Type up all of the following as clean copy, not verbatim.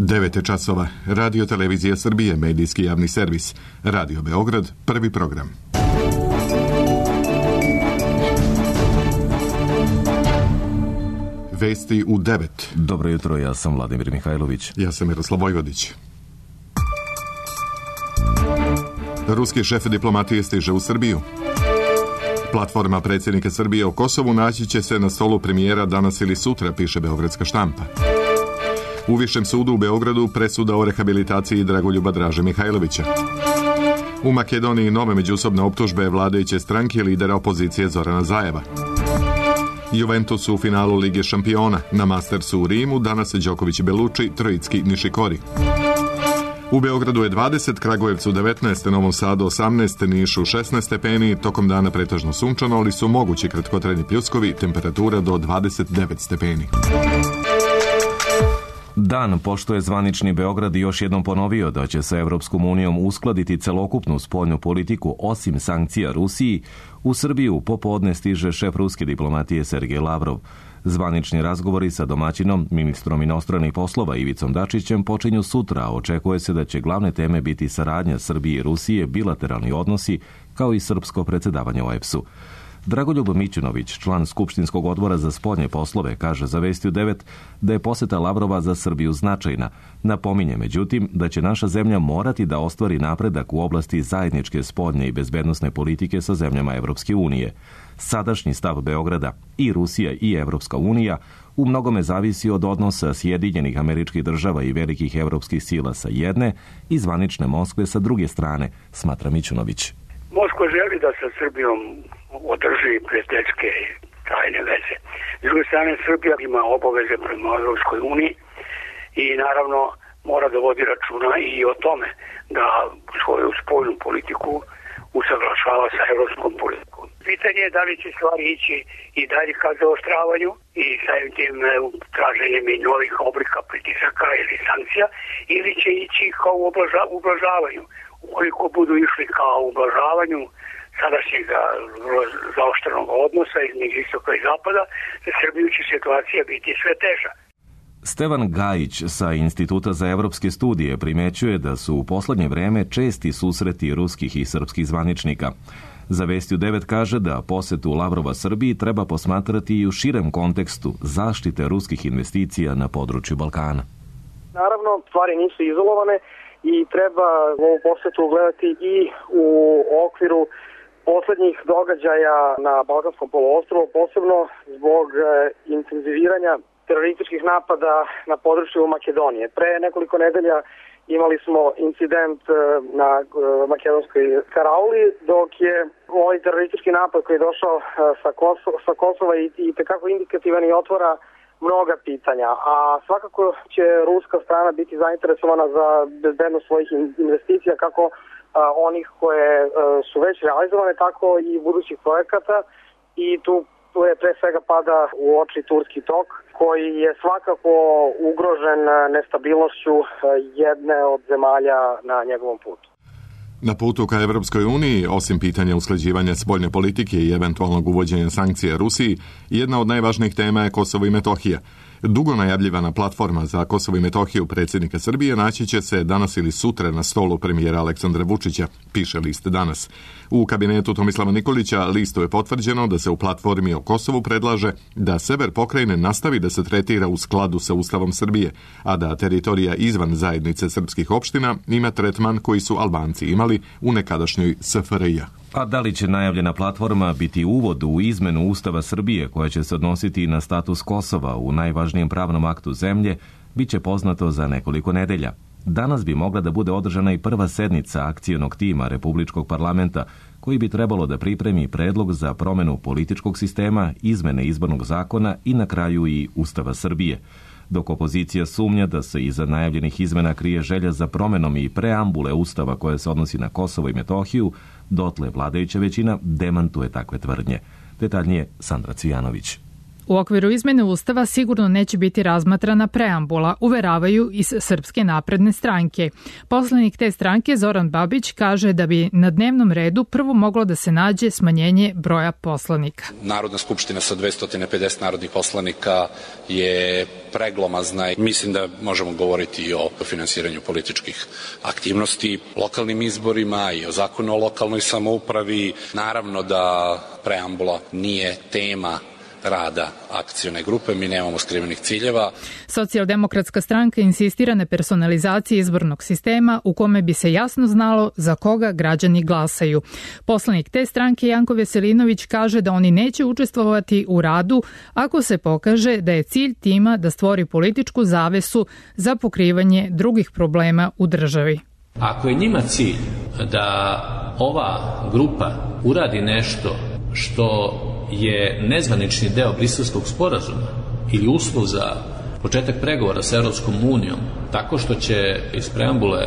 9 časova. Radio Televizija Srbije, medijski javni servis. Radio Beograd, prvi program. Vesti u 9. Dobro jutro, ja sam Vladimir Mihajlović. Ja sam Miroslav Vojvodić. Ruski šef diplomatije stiže u Srbiju. Platforma predsjednika Srbije o Kosovu naći će se na stolu premijera danas ili sutra, piše beogradska štampa. U Višem sudu u Beogradu presuda o rehabilitaciji Dragoljuba Draže Mihajlovića. U Makedoniji nove međusobne optužbe vladajuće stranke i lidera opozicije Zorana Zajeva. Juventus u finalu Lige šampiona. Na Mastersu u Rimu danas Đoković i Belucci, Trojicki, Nišikori. U Beogradu je 20, Kragujevcu 19, Novom Sadu 18, Nišu 16 stepeni, tokom dana pretežno sunčano, ali su mogući kratkotrajni pljuskovi, temperatura do 29 stepeni. Dan pošto je zvanični Beograd još jednom ponovio da će sa Evropskom unijom uskladiti celokupnu spoljnu politiku osim sankcija Rusiji, u Srbiju popodne stiže šef ruske diplomatije Sergej Lavrov. Zvanični razgovori sa domaćinom, ministrom inostranih poslova Ivicom Dačićem počinju sutra, a očekuje se da će glavne teme biti saradnja Srbije i Rusije, bilateralni odnosi, kao i srpsko predsjedavanje OEBS-u. Dragoljub Mićunović, član Skupštinskog odbora za spoljne poslove, kaže za Vesti u 9 da je poseta Lavrova za Srbiju značajna. Napominje, međutim, da će naša zemlja morati da ostvari napredak u oblasti zajedničke spoljne i bezbednosne politike sa zemljama Evropske unije. Sadašnji stav Beograda, i Rusija i Evropska unija, u mnogome zavisi od odnosa Sjedinjenih Američkih Država i velikih evropskih sila sa jedne i zvanične Moskve sa druge strane, smatra Mićunović. Moskva želi da sa Srbijom održi prijateljske trajne veze. S druge strane, Srbija ima obaveze prema Evropskoj uniji i naravno mora da vodi računa i o tome da svoju spoljnu politiku usaglašava sa evropskom politikom. Pitanje je da li će stvari ići i dalje ka zaoštravanju i samim tim traženjem i novih oblika pritisaka ili sankcija, ili će ići kao ublažavanju. Ukoliko budu išli kao ublažavanju sadašnjeg zaoštrenog odnosa između istoka i zapada, za Srbiju će situacija biti sve teža. Stevan Gajić sa Instituta za evropske studije primećuje da su u poslednje vreme česti susreti ruskih i srpskih zvaničnika. Za Vesti u 9 kaže da posetu Lavrova Srbiji treba posmatrati i u širem kontekstu zaštite ruskih investicija na području Balkana. Naravno, stvari nisu izolovane i treba ovu posetu gledati i u okviru poslednjih događaja na Balkanskom poluostrvu, posebno zbog intenziviranja terorističkih napada na području Makedonije. Pre nekoliko nedelja imali smo incident na makedonskoj Karauli, dok je ovaj teroristički napad koji je došao sa Kosova i tekako indikativan i otvara mnoga pitanja, a svakako će ruska strana biti zainteresovana za bezbednost svojih investicija, kako onih koje su već realizovane, tako i budućih projekata, i tu je pre svega pada u oči Turski tok, koji je svakako ugrožen nestabilnošću jedne od zemalja na njegovom putu. Na putu ka Evropskoj uniji, osim pitanja usklađivanja spoljne politike i eventualnog uvođenja sankcija Rusiji, jedna od najvažnijih tema je Kosovo i Metohija. Dugo najavljivana platforma za Kosovo i Metohiju predsjednika Srbije naći će se danas ili sutra na stolu premijera Aleksandra Vučića, piše list Danas. U kabinetu Tomislava Nikolića listu je potvrđeno da se u platformi o Kosovu predlaže da sever pokrajine nastavi da se tretira u skladu sa Ustavom Srbije, a da teritorija izvan zajednice srpskih opština ima tretman koji su Albanci imali u nekadašnjoj SFRJ. A da li će najavljena platforma biti uvod u izmenu Ustava Srbije koja će se odnositi na status Kosova u najvažnijem pravnom aktu zemlje, bit će poznato za nekoliko nedelja. Danas bi mogla da bude održana i prva sednica akcionog tima Republičkog parlamenta, koji bi trebalo da pripremi predlog za promenu političkog sistema, izmene izbornog zakona i na kraju i Ustava Srbije. Dok opozicija sumnja da se iza najavljenih izmena krije želja za promenom i preambule Ustava koja se odnosi na Kosovo i Metohiju, dotle vladajuća većina demantuje takve tvrdnje. Detaljnije Sandra Cvijanović. U okviru izmene Ustava sigurno neće biti razmatrana preambula, uveravaju iz Srpske napredne stranke. Poslanik te stranke Zoran Babić kaže da bi na dnevnom redu prvo moglo da se nađe smanjenje broja poslanika. Narodna skupština sa 250 narodnih poslanika je preglomazna i mislim da možemo govoriti i o finansiranju političkih aktivnosti, lokalnim izborima i o zakonu o lokalnoj samoupravi. Naravno da preambula nije tema rada akcione grupe, mi nemamo skrivenih ciljeva. Socijaldemokratska stranka insistira na personalizaciji izbornog sistema u kome bi se jasno znalo za koga građani glasaju. Poslanik te stranke Janko Veselinović kaže da oni neće učestvovati u radu ako se pokaže da je cilj tima da stvori političku zavesu za pokrivanje drugih problema u državi. Ako je njima cilj da ova grupa uradi nešto što je nezvanični deo Briselskog sporazuma ili uslov za početak pregovora sa Europskom unijom, tako što će iz preambule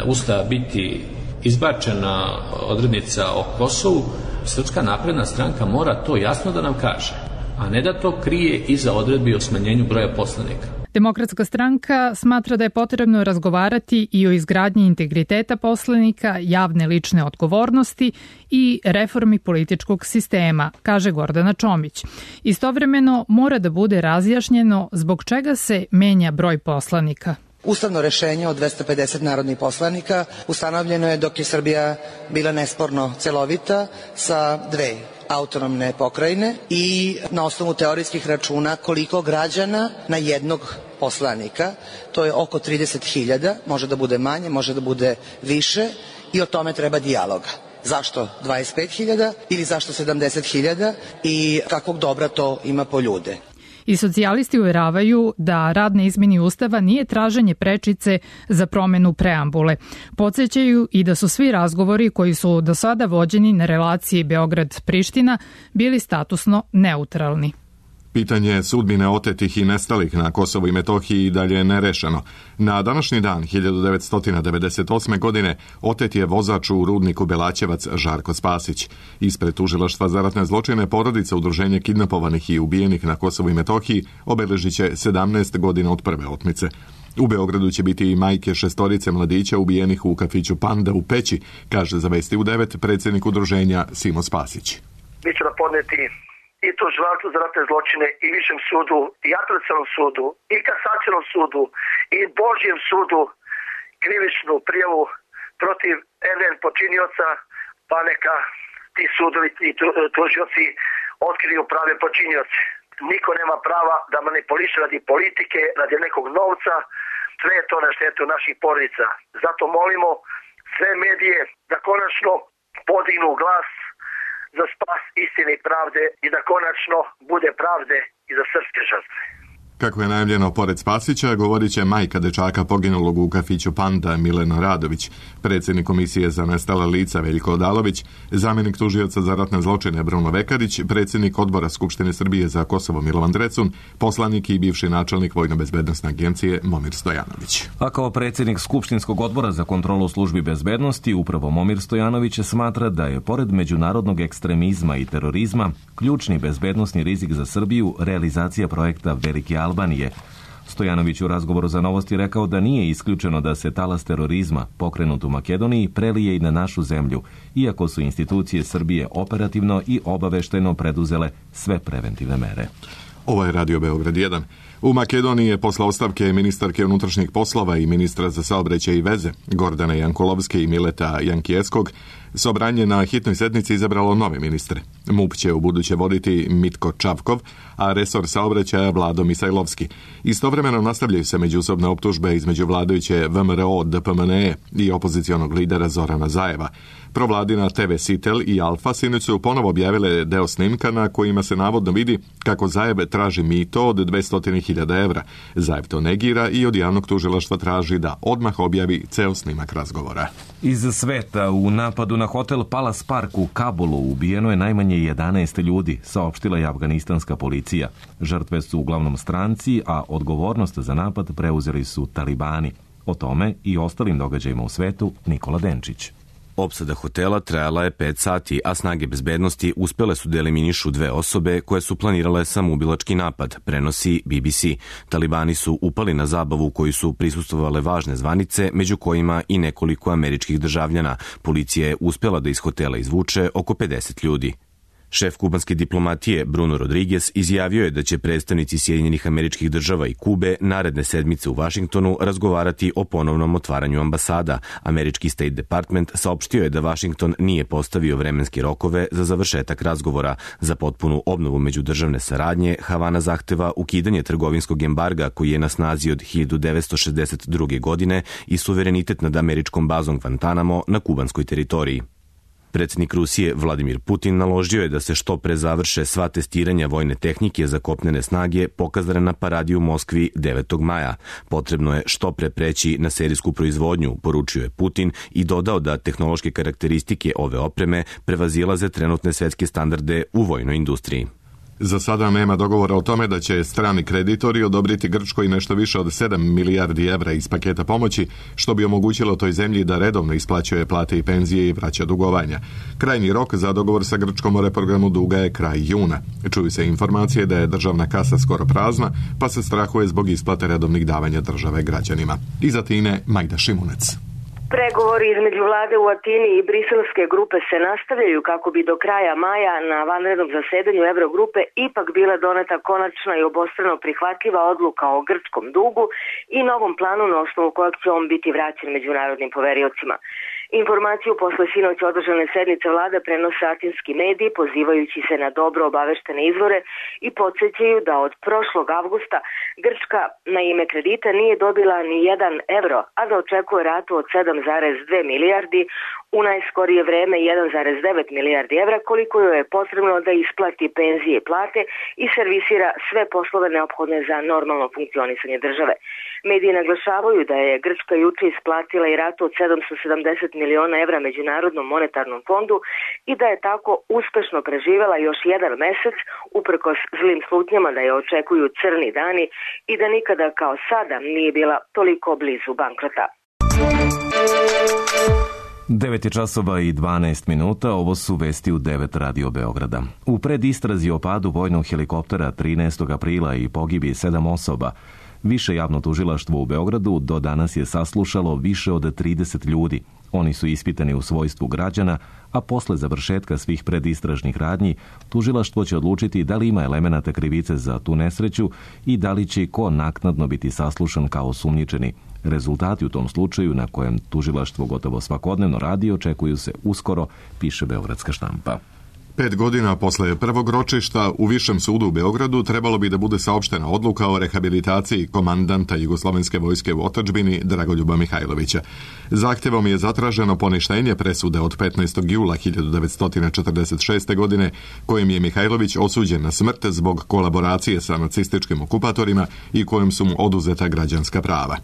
Ustava biti izbačena odrednica o Kosovu, Srpska napredna stranka mora to jasno da nam kaže, a ne da to krije iza odredbi o smanjenju broja poslanika. Demokratska stranka smatra da je potrebno razgovarati i o izgradnji integriteta poslanika, javne lične odgovornosti i reformi političkog sistema, kaže Gordana Čomić. Istovremeno mora da bude razjašnjeno zbog čega se menja broj poslanika. Ustavno rešenje od 250 narodnih poslanika ustanovljeno je dok je Srbija bila nesporno celovita sa dve autonomne pokrajine i na osnovu teorijskih računa koliko građana na jednog poslanika, to je oko 30.000, može da bude manje, može da bude više i o tome treba dijaloga. Zašto 25.000 ili zašto 70.000 i kakvog dobra to ima po ljude? I socijalisti uveravaju da rad na izmeni Ustava nije traženje prečice za promenu preambule. Podsećaju i da su svi razgovori koji su do sada vođeni na relaciji Beograd-Priština bili statusno neutralni. Pitanje sudbine otetih i nestalih na Kosovu i Metohiji i dalje je nerešeno. Na današnji dan 1998. godine otet je vozač u rudniku Belaćevac Žarko Spasić. Ispred tužilaštva za ratne zločine porodica udruženja kidnapovanih i ubijenih na Kosovu i Metohiji obeležit će 17 godina od prve otmice. U Beogradu će biti i majke 6 mladića ubijenih u kafiću Panda u Peći, kaže za Vesti u 9 predsjednik udruženja Simo Spasić. Mi ćemo podneti i tužilaštvu za ratne zločine i Višem sudu i Apelacionom sudu i Kasacionom sudu i Božjem sudu krivičnu prijavu protiv NN počinioca, pa neka ti sudovi i tužioci otkriju prave počinioce. Niko nema prava da manipuliše radi politike, radi nekog novca, sve je to na štetu naših porodica. Zato molimo sve medije da konačno podignu glas za spas istine i pravde i da konačno bude pravde i za srpske žrtve. Kako je najavljeno, pored Spasića, govorit će majka dečaka poginulog u kafiću Panda Milena Radović, predsjednik komisije za nestala lica Veljko Odalović, zamjenik tužioca za ratne zločine Bruno Vekarić, predsjednik odbora Skupštine Srbije za Kosovo Milovan Drecun, poslanik i bivši načelnik Vojno-bezbednosne agencije Momir Stojanović. A kao predsjednik Skupštinskog odbora za kontrolu službi bezbednosti, upravo Momir Stojanović smatra da je pored međunarodnog ekstremizma i terorizma ključni bezbednosni rizik za Srbiju realizacija projekta Velike Albanije. Stojanović u razgovoru za Novosti rekao da nije isključeno da se talas terorizma pokrenut u Makedoniji prelije i na našu zemlju, iako su institucije Srbije operativno i obavešteno preduzele sve preventivne mere. Ovo je Radio Beograd 1. U Makedoniji je posle ostavke ministarke unutrašnjih poslova i ministra za saobraćaj i veze Gordane Jankulovske i Mileta Jankijeskog Sobranje na hitnoj sednici izabralo nove ministre. MUP će u buduće voditi Mitko Čavkov, a resor saobraćaja Vlado Misajlovski. Istovremeno nastavljaju se međusobne optužbe između vladajuće VMRO DPMNE i opozicionog lidera Zorana Zajeva. Provladina TV Sitel i Alfa sinoć su ponovo objavile deo snimka na kojima se navodno vidi kako Zajev traži mito od 200.000 evra. Zajev to negira i od javnog tužilaštva traži da odmah objavi ceo snimak razgovora. Iz sveta u napadu na hotel Palace Park u Kabulu ubijeno je najmanje 11 ljudi, saopštila je afganistanska policija. Žrtve su uglavnom stranci, a odgovornost za napad preuzeli su talibani. O tome i ostalim događajima u svetu Nikola Denčić. Opsada hotela trajala je 5 sati, a snage bezbednosti uspele su da eliminišu 2 osobe koje su planirale samoubilački napad, prenosi BBC. Talibani su upali na zabavu u kojoj su prisustvovale važne zvanice, među kojima i nekoliko američkih državljana. Policija je uspela da iz hotela izvuče oko 50 ljudi. Šef kubanske diplomatije Bruno Rodriguez izjavio je da će predstavnici Sjedinjenih Američkih Država i Kube naredne sedmice u Vašingtonu razgovarati o ponovnom otvaranju ambasada. Američki State Department saopštio je da Vašington nije postavio vremenske rokove za završetak razgovora. Za potpunu obnovu međudržavne saradnje Havana zahteva ukidanje trgovinskog embarga koji je na snazi od 1962. godine i suverenitet nad američkom bazom Guantanamo na kubanskoj teritoriji. Predsjednik Rusije Vladimir Putin naložio je da se što pre završe sva testiranja vojne tehnike za kopnene snage pokazane na paradi u Moskvi 9. maja. Potrebno je što pre preći na serijsku proizvodnju, poručio je Putin i dodao da tehnološke karakteristike ove opreme prevazilaze trenutne svetske standarde u vojnoj industriji. Za sada nema dogovora o tome da će strani kreditori odobriti Grčkoj nešto više od 7 milijardi evra iz paketa pomoći, što bi omogućilo toj zemlji da redovno isplaćuje plate i penzije i vraća dugovanja. Krajnji rok za dogovor sa Grčkom o reprogramu duga je kraj juna. Čuju se informacije da je državna kasa skoro prazna, pa se strahuje zbog isplate redovnih davanja države građanima. Iz Atine, Majda Šimunec. Pregovori između vlade u Atini i briselske grupe se nastavljaju kako bi do kraja maja na vanrednom zasedanju Eurogrupe ipak bila doneta konačna i obostrano prihvatljiva odluka o grčkom dugu i novom planu na osnovu kojeg će on biti vraćen međunarodnim poveriocima. Informaciju posle sinoć održane sednice vlade prenose atinski mediji pozivajući se na dobro obaveštene izvore i podsjećaju da od prošlog avgusta Grčka na ime kredita nije dobila ni 1 evro, a da očekuje ratu od 7,2 milijardi, u najskorije vreme 1,9 milijardi evra, koliko joj je potrebno da isplati penzije i plate i servisira sve poslove neophodne za normalno funkcionisanje države. Mediji naglašavaju da je Grčka juče isplatila i ratu od 770 miliona evra Međunarodnom monetarnom fondu i da je tako uspešno preživela još 1 mesec uprkos zlim slutnjama da je očekuju crni dani i da nikada kao sada nije bila toliko blizu bankrota. 9 časova i 12 minuta, ovo su vesti u 9 Radio Beograda. U predistrazi o padu vojnog helikoptera 13. aprila i pogibi 7 osoba, Više javno tužilaštvo u Beogradu do danas je saslušalo više od 30 ljudi. Oni su ispitani u svojstvu građana, a posle završetka svih predistražnih radnji, tužilaštvo će odlučiti da li ima elemenata krivice za tu nesreću i da li će ko naknadno biti saslušan kao osumnjičeni. Rezultati u tom slučaju, na kojem tužilaštvo gotovo svakodnevno radi, očekuju se uskoro, piše Beogradska štampa. 5 godina posle prvog ročišta u Višem sudu u Beogradu trebalo bi da bude saopštena odluka o rehabilitaciji komandanta Jugoslovenske vojske u otadžbini Dragoljuba Mihajlovića. Zahtevom je zatraženo poništenje presude od 15. jula 1946. godine, kojim je Mihajlović osuđen na smrt zbog kolaboracije sa nacističkim okupatorima i kojim su mu oduzeta građanska prava.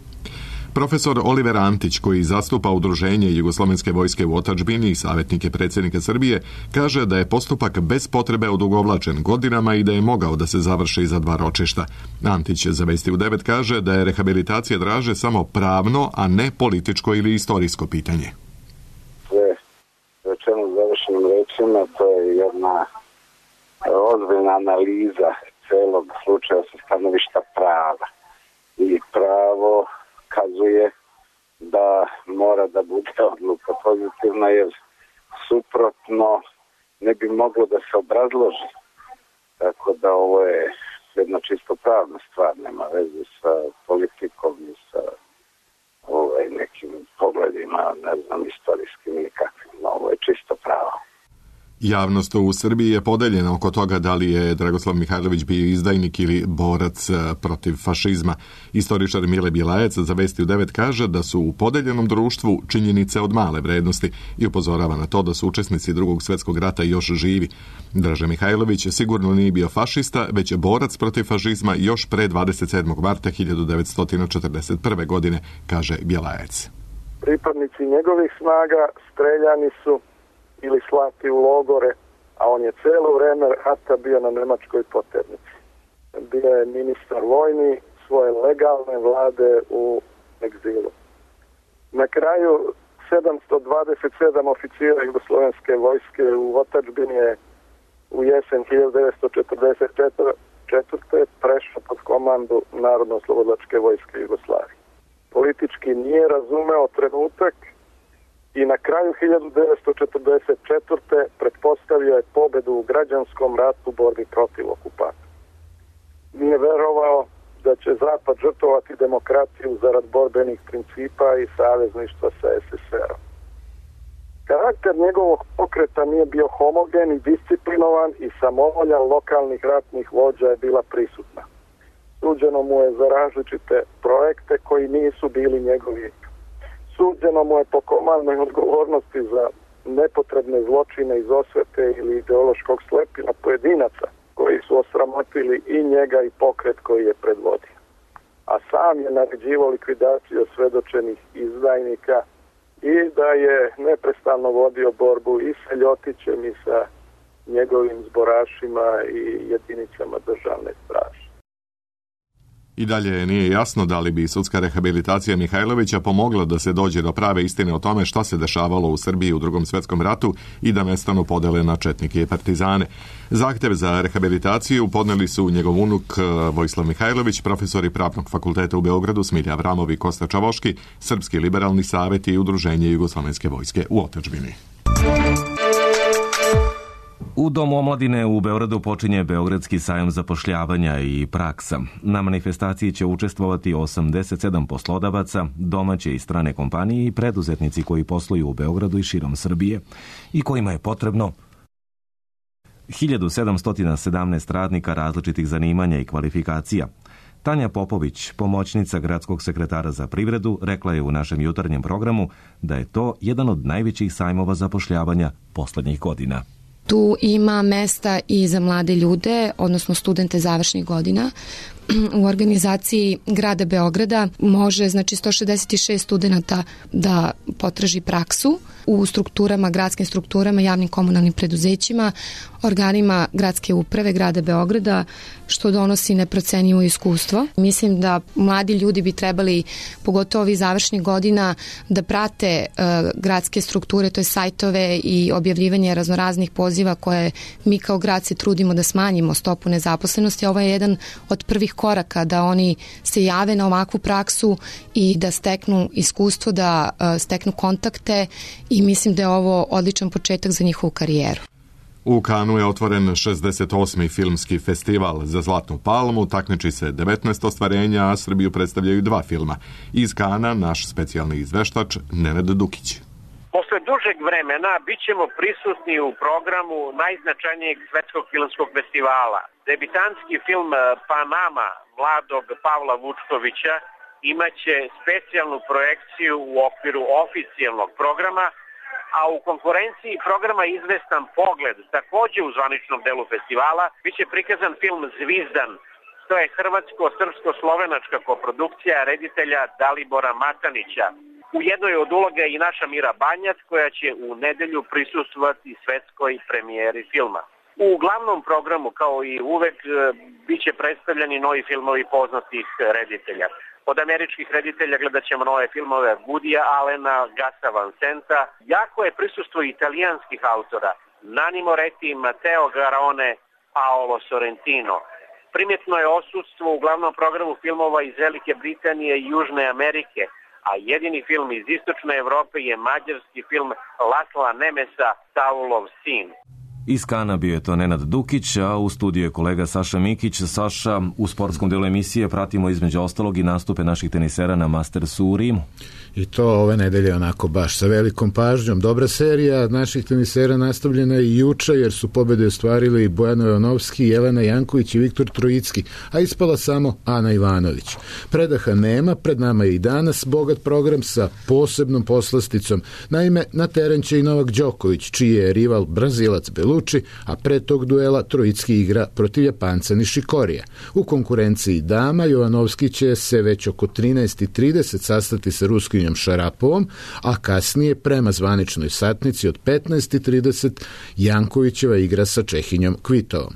Profesor Oliver Antić, koji zastupa udruženje Jugoslovenske vojske u otadžbini i savjetnike predsjednika Srbije, kaže da je postupak bez potrebe odugovlačen godinama i da je mogao da se završi za 2 ročišta. Antić za Vesti u 9 kaže da je rehabilitacija Draže samo pravno, a ne političko ili istorijsko pitanje. Sve rečeno završenim rečima, to je jedna ozbiljna analiza celog slučaja sa stanovišta prava. I pravo kazuje da mora da bude odluka pozitivna, jer suprotno ne bi moglo da se obrazloži. Tako da ovo je jedna čisto pravna stvar, nema veze sa politikom i sa nekim pogledima, ne znam, istorijskim ili kakvim. Ovo je čisto pravo. Javnost u Srbiji je podeljena oko toga da li je Dragoslav Mihajlović bio izdajnik ili borac protiv fašizma. Istoričar Mile Bjelajac za Vesti u 9 kaže da su u podeljenom društvu činjenice od male vrednosti i upozorava na to da su učesnici Drugog svjetskog rata još živi. Draže Mihajlović sigurno nije bio fašista, već je borac protiv fašizma još pre 27. marta 1941. godine, kaže Bjelajac. Pripadnici njegovih snaga streljani su ili slati u logore, a on je celo vreme rata bio na nemačkoj poternici. Bio je ministar vojni svoje legalne vlade u egzilu. Na kraju 727 oficira jugoslovenske vojske u otadžbini je u jesen 1944. prešao pod komandu Narodno-oslobodilačke vojske Jugoslavije. Politički nije razumeo trenutak i na kraju 1944. pretpostavio je pobedu u građanskom ratu borbi protiv okupatora. Nije verovao da će Zapad žrtvovati demokraciju zarad borbenih principa i savezništva sa SSR-om. Karakter njegovog pokreta nije bio homogen i disciplinovan i samovolja lokalnih ratnih vođa je bila prisutna. Suđeno mu je za različite projekte koji nisu bili njegovi. Suđeno mu je po komandnoj odgovornosti za nepotrebne zločine iz osvete ili ideološkog slepila pojedinaca koji su osramotili i njega i pokret koji je predvodio. A sam je naređivao likvidaciju osvedočenih izdajnika i da je neprestano vodio borbu i sa Ljotićem i sa njegovim zborašima i jedinicama državne straže. I dalje nije jasno da li bi sudska rehabilitacija Mihajlovića pomogla da se dođe do prave istine o tome šta se dešavalo u Srbiji u Drugom svjetskom ratu i da nestanu podele na četnike i partizane. Zahtev za rehabilitaciju podneli su njegov unuk Vojislav Mihajlović, profesori Pravnog fakulteta u Beogradu Smilja Avramov i Kosta Čavoški, Srpski liberalni savjet i Udruženje Jugoslovenske vojske u otadžbini. U Domu omladine u Beogradu počinje Beogradski sajam zapošljavanja i praksa. Na manifestaciji će učestvovati 87 poslodavaca, domaće i strane kompanije i preduzetnici koji posluju u Beogradu i širom Srbije i kojima je potrebno 1717 radnika različitih zanimanja i kvalifikacija. Tanja Popović, pomoćnica gradskog sekretara za privredu, rekla je u našem jutarnjem programu da je to jedan od najvećih sajmova zapošljavanja poslednjih godina. Tu ima mesta i za mlade ljude, odnosno studente završnih godina. U organizaciji grada Beograda može 166 studenta da potraži praksu u strukturama, gradskim strukturama, javnim komunalnim preduzećima, organima gradske uprave grada Beograda, što donosi neprocenjivo iskustvo. Mislim da mladi ljudi bi trebali, pogotovo ovih završnih godina, da prate gradske strukture, to je sajtove i objavljivanje raznoraznih poziva koje mi kao grad se trudimo da smanjimo stopu nezaposlenosti. Ovo je jedan od prvih koraka da oni se jave na ovakvu praksu i da steknu iskustvo, da steknu kontakte i mislim da je ovo odličan početak za njihovu karijeru. U Kanu je otvoren 68. filmski festival za Zlatnu palmu, takmiči se 19 ostvarenja, a Srbiju predstavljaju 2 filma. Iz Kana naš specijalni izveštač Nenad Dukić. Posle dužeg vremena bit ćemo prisutni u programu najznačajnijeg svetskog filmskog festivala. Debitanski film Panama mladog Pavla Vučkovića imaće specijalnu projekciju u okviru oficijalnog programa, a u konkurenciji programa Izvestan pogled, takođe u zvaničnom delu festivala, biće prikazan film Zvizdan. To je hrvatsko-srpsko-slovenačka koprodukcija reditelja Dalibora Matanića. U jednoj od uloga i naša Mira Banjac, koja će u nedelju prisustvovati svetskoj premijeri filma. U glavnom programu, kao i uvek, biće predstavljeni novi filmovi poznatih reditelja. Od američkih reditelja gledat ćemo nove filmove Woodya Allena, Gasa Van Senta. Jako je prisustvo italijanskih autora, Nanni Moretti, Matteo Garrone, Paolo Sorrentino. Primjetno je odsudstvo u glavnom programu filmova iz Velike Britanije i Južne Amerike, a jedini film iz Istočne Evrope je mađarski film Lasla Nemesa, Saulov sin. Iz Kana bio je to Nenad Dukić, a u studiju je kolega Saša Mikić. Saša, u sportskom delu emisije pratimo između ostalog i nastupe naših tenisera na Mastersu u Rimu. I to ove nedelje onako baš sa velikom pažnjom. Dobra serija naših tenisera nastavljena i juče, jer su pobede ostvarili Bojana Jovanovski, Jelena Janković i Viktor Trojicki, a ispala samo Ana Ivanović. Predaha nema, pred nama je i danas bogat program sa posebnom poslasticom. Naime, na teren će i Novak Đoković, čiji je rival Brazilac Beluči, a pre tog duela Trojicki igra protiv Japanca Nishikorija. U konkurenciji dama Jovanovski će se već oko 13:30 sastati sa Ruskinjom Šarapovom, a kasnije prema zvaničnoj satnici od 15:30 Jankovićeva igra sa Čehinjom Kvitovom.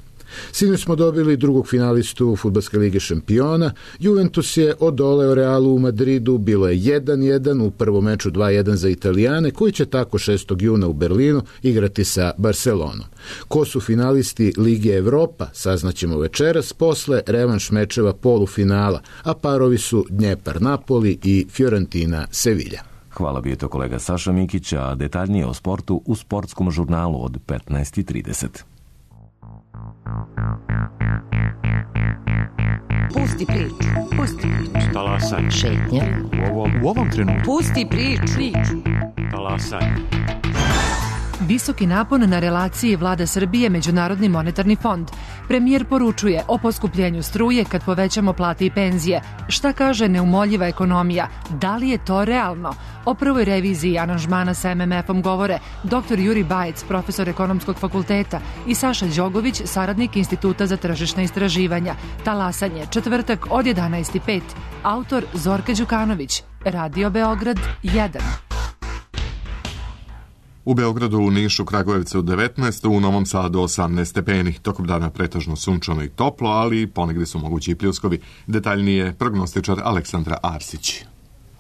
Sinoć smo dobili drugog finalistu Fudbalske lige šampiona. Juventus je odoleo Realu u Madridu, bilo je 1-1, u prvom meču 2-1 za Italijane, koji će tako 6. juna u Berlinu igrati sa Barcelonom. Ko su finalisti Lige Evropa, saznaćemo večeras posle revanš mečeva polufinala, a parovi su Dnjepar-Napoli i Fiorentina-Sevilja. Hvala bi je to kolega Saša Mikić, a detaljnije o sportu u sportskom žurnalu od 15:30. Pusti priču. Pusti priču. Talasaj. Šetnja. U ovom trenutku. Pusti priču. Talasaj. Visoki napon na relaciji Vlada Srbije Međunarodni monetarni fond. Premijer poručuje o poskupljenju struje kad povećamo plate i penzije. Šta kaže neumoljiva ekonomija? Da li je to realno? O prvoj reviziji aranžmana sa MMF-om govore dr. Juri Bajec, profesor ekonomskog fakulteta, i Saša Đogović, saradnik Instituta za tržišna istraživanja. Talasanje, četvrtak od 11:05. Autor Zorka Đukanović. Radio Beograd 1. U Beogradu, u Nišu, Kragujevcu 19, u Novom Sadu 18 stepeni. Tokom dana pretežno sunčano i toplo, ali ponegdje su mogući i pljuskovi. Detaljnije prognostičar Aleksandra Arsić.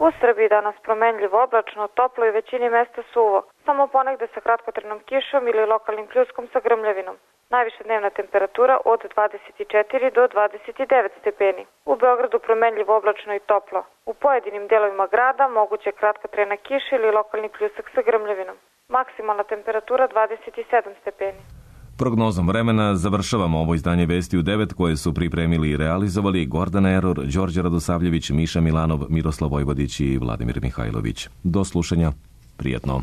U Srbiji danas promenljivo, oblačno, toplo i većini mesta suvo. Samo ponegde sa kratkotrajnom kišom ili lokalnim pljuskom sa grmljavinom. Najviša dnevna temperatura od 24 do 29 stepeni. U Beogradu promenljivo, oblačno i toplo. U pojedinim delovima grada moguće kratkotrajna kiša ili lokalni pljusak sa grmljavinom. Maksimalna temperatura 27 stepeni. Prognozom vremena završavamo ovo izdanje Vesti u 9 koje su pripremili i realizovali Gordana Eror, Đorđe Radosavljević, Miša Milanov, Miroslav Vojvodić i Vladimir Mihajlović. Do slušanja. Prijetno.